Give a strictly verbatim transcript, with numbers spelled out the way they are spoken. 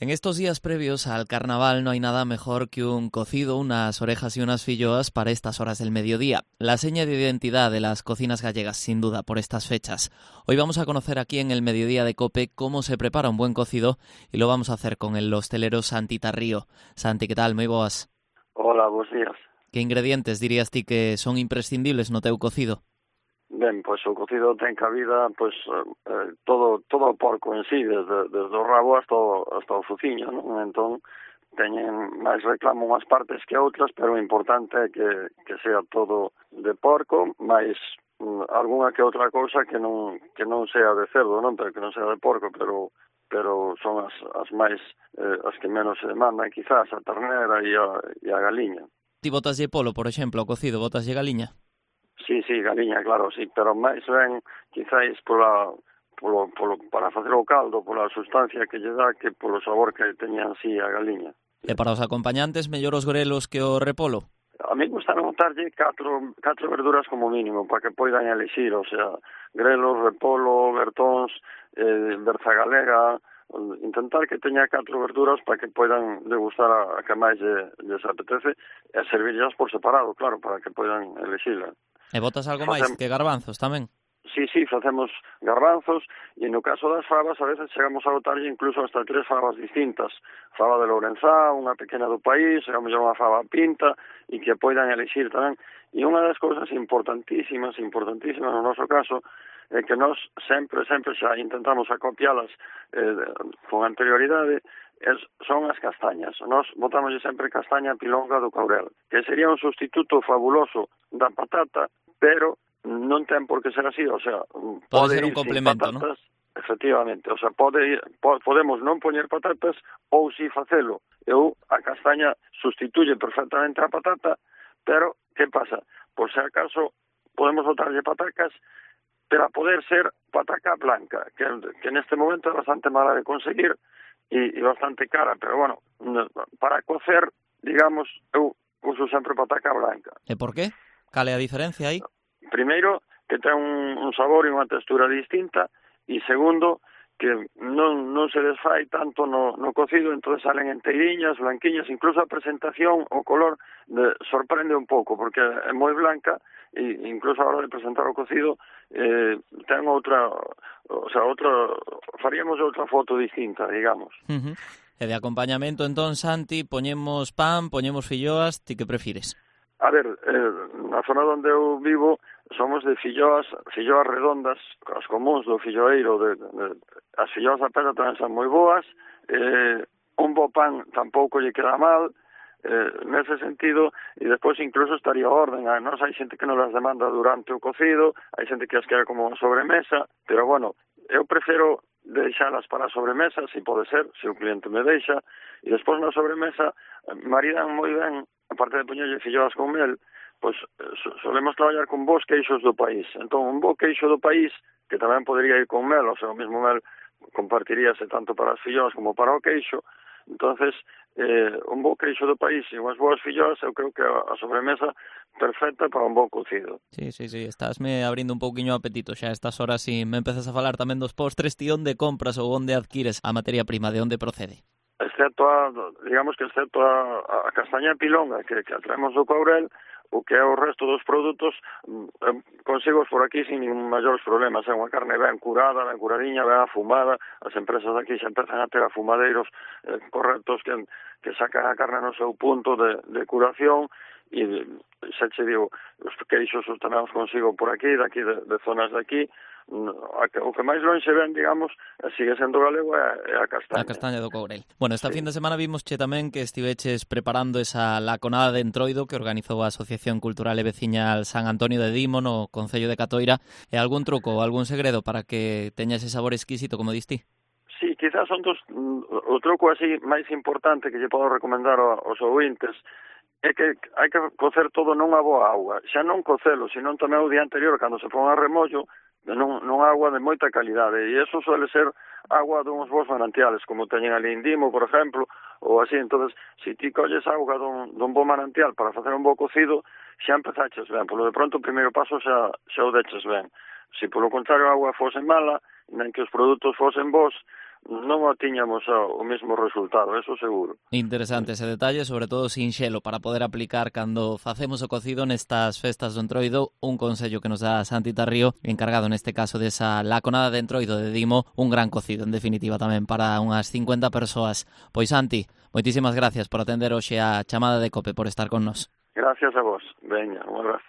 En estos días previos al carnaval no hay nada mejor que un cocido, unas orejas y unas filloas para estas horas del mediodía. La seña de identidad de las cocinas gallegas, sin duda, por estas fechas. Hoy vamos a conocer aquí en el Mediodía de COPE cómo se prepara un buen cocido y lo vamos a hacer con el hostelero Santi Tarrío. Santi, ¿qué tal? Moi boas. Hola, bons días. Que ingredientes dirías ti que son imprescindibles no teu cocido? Ben, pois o cocido ten cabida, pois, eh, todo todo o porco en sí, desde, desde o rabo hasta o, hasta o fuciño, non? Entón, teñen máis reclamo unhas partes que outras, pero o importante é que, que sea todo de porco, máis mm, algunha que outra cousa que non que non sea de cerdo, non? Pero que non sea de porco, pero pero son as, as máis, eh, as que menos se demandan, quizás, a ternera e a, e a galiña. Ti botaslle polo, por exemplo, ao cocido, botaslle galiña? Sí, sí, galiña, claro, sí, pero máis ben, quizáis, pola, polo, polo, para facer o caldo, pola sustancia que lle dá, que polo sabor que teña así a galiña. E para os acompañantes, mellor os grelos que o repolo? A mí gusta montarlle catro, catro verduras como mínimo, para que poidan elixir, o sea, grelos, repolo, bertóns, eh, berza galega, intentar que teña catro verduras para que poidan degustar a, a que máis lle, lles apetece, e servirlas por separado, claro, para que poidan elixirla. E botas algo Facem... máis que garbanzos tamén? Sí, sí, facemos garbanzos e no caso das fabas a veces chegamos a botarlle incluso hasta tres fabas distintas. Faba de Lourenzá, unha pequena do país, a mellor unha faba pinta e que poidan elixir tamén. E unha das cousas importantísimas, importantísimas no noso caso, é que nós sempre, sempre xa intentamos acopialas eh, con anterioridade, es, son as castañas. Nós botámoslle sempre castaña pilonga do Caurel, que sería un sustituto fabuloso da patata, pero non ten por que ser así, o sea, pode, pode ser un complemento, patatas, ¿no? Efectivamente, o sea, pode po, podemos non poñer patatas ou si facelo. Eu a castaña sustituye perfectamente a patata, pero que pasa? Por se acaso podemos botarlle patacas, pero a poder ser pataca blanca, que, que neste momento é bastante mala de conseguir e, e bastante cara, pero bueno, para cocer, digamos, eu uso sempre pataca blanca. E por qué? Cal é a diferencia aí? Primeiro, que ten un, un sabor e unha textura distinta, e segundo, que non, non se desfai tanto no, no cocido, entón salen enteiriñas, blanquiñas, incluso a presentación, o color, de, sorprende un pouco, porque é moi blanca, e incluso a hora de presentar o cocido, eh, ten outra, o sea, outra, faríamos outra foto distinta, digamos. Uh -huh. E de acompañamento, entón, Santi, poñemos pan, poñemos filloas, ti que prefires? A ver, eh, na zona onde eu vivo somos de filloas, filloas redondas, as comuns do filloeiro, de, de, as filloas da pedra tamén son moi boas, eh, un bo pan tampouco lle queda mal, eh, nese sentido, e despois incluso estaría orden, a nos hai xente que non las demanda durante o cocido, hai xente que as queda como sobremesa, pero bueno, eu prefiro deixalas para a sobremesa, se pode ser, se o cliente me deixa, e despois na sobremesa maridan moi ben, aparte de poñerlle filloas con mel, pois solemos traballar con bons queixos do país. Entón, un bo queixo do país, que tamén podría ir con mel, ou sea, o mesmo mel compartiríase tanto para as filloas como para o queixo. Entonces, eh, un bo queixo do país e unhas boas filloas, eu creo que a sobremesa perfecta para un bo cocido. Sí, sí, sí, estásme abrindo un pouquiño o apetito xa a estas horas e me empezas a falar tamén dos postres, ti onde compras ou onde adquires a materia prima, de onde procede? Excepto a, digamos que excepto a, a castaña pilonga que, que atraemos do Caurel, o que é o resto dos produtos, eh, consigo por aquí sin ningún maiores problemas. É unha carne ben curada, ben curadiña, ben afumada. As empresas aquí xa empezan a ter afumadeiros eh, correctos que, que sacan a carne no seu punto de, de curación, e xa che digo, os queixos os tenemos consigo por aquí, daqui de, de zonas de aquí. O que máis longe ven, digamos, sigue sendo galego é a castaña. A castaña do Courel. Bueno, esta sí. fin de semana vimos che tamén que estiveches preparando esa laconada de entroido que organizou a Asociación Cultural e Veciñal San Antonio de Dimo no Concello de Catoira. E algún truco ou algún segredo para que teña ese sabor exquisito, como diste? Sí, quizás son dos, o truco así máis importante que lle podo recomendar aos ouvintes é que hai que cocer todo non a boa auga, xa non cocelo, senón tamén o día anterior, cando se pon a remollo, non, non agua de moita calidade, e eso suele ser agua duns bons manantiales, como teñen ali en Dimo, por exemplo, ou así. Entonces, se ti colles auga dun, dun bon manantial para facer un bo cocido, xa empezaches ben, polo de pronto o primeiro paso xa, xa o deches ben. Se polo contrario a agua fose mala, nen que os produtos fosen bons, non tiñamos o mesmo resultado, eso seguro. Interesante ese detalle, sobre todo sinxelo, para poder aplicar cando facemos o cocido nestas festas do Entroido. Un consello que nos dá Santi Tarrío, encargado neste caso desa laconada de Entroido de Dimo, un gran cocido, en definitiva, tamén para unhas cincuenta persoas. Pois Santi, moitísimas gracias por atender hoxe a chamada de COPE, por estar con nós. Gracias a vos. Veña, un abrazo.